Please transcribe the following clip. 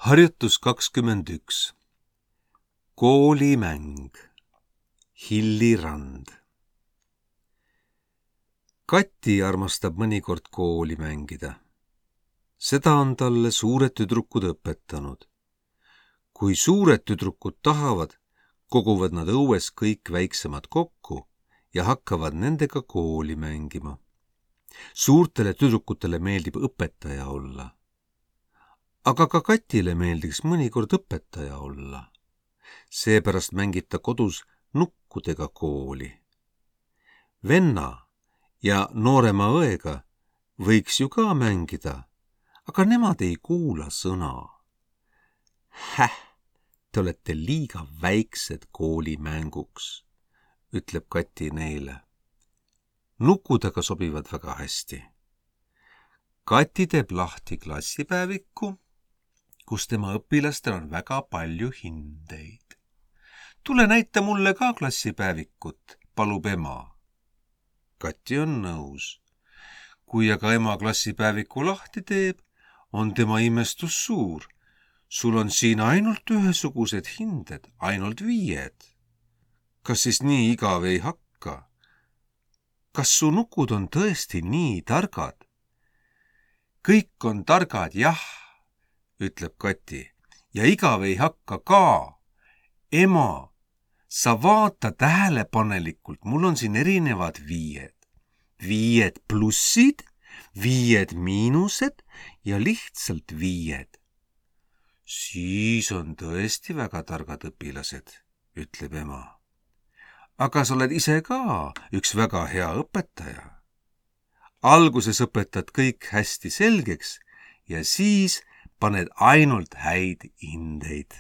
Harjutus 21. Koolimäng. Hilli Rand. Kati armastab mõnikord kooli mängida. Seda on talle suured tüdrukud õpetanud. Kui suured tüdrukud tahavad, koguvad nad õues kõik väiksemad kokku ja hakkavad nendega kooli mängima. Suurtele tüdrukutele meeldib õpetaja olla. Aga ka Katile meeldiks mõnikord õpetaja olla. Seepärast mängib ta kodus nukkudega kooli. Venna ja noorema õega võiks ju ka mängida, aga nemad ei kuula sõna. Te olete liiga väiksed koolimänguks, ütleb Kati neile. Nukud aga sobivad väga hästi. Kati teeb lahti klassipäeviku, kus tema õpilastel on väga palju hindeid. Tule näita mulle ka klassipäevikut, palub ema. Kati on nõus. Kui aga ema klassipäeviku lahti teeb, on tema imestus suur. Sul on siin ainult ühesugused hinded, ainult 5. Kas siis nii igav ei hakka? Kas su nukud on tõesti nii targad? Kõik on targad, jah, ütleb Kati, ja igav ei hakka ka. Ema, sa vaata tähelepanelikult, mul on siin erinevad 5. 5 plussid, 5 miinused ja lihtsalt 5. Siis on tõesti väga targad õpilased, ütleb ema. Aga sa oled ise ka üks väga hea õpetaja. Alguses õpetad kõik hästi selgeks ja siis paned ainult häid hindeid.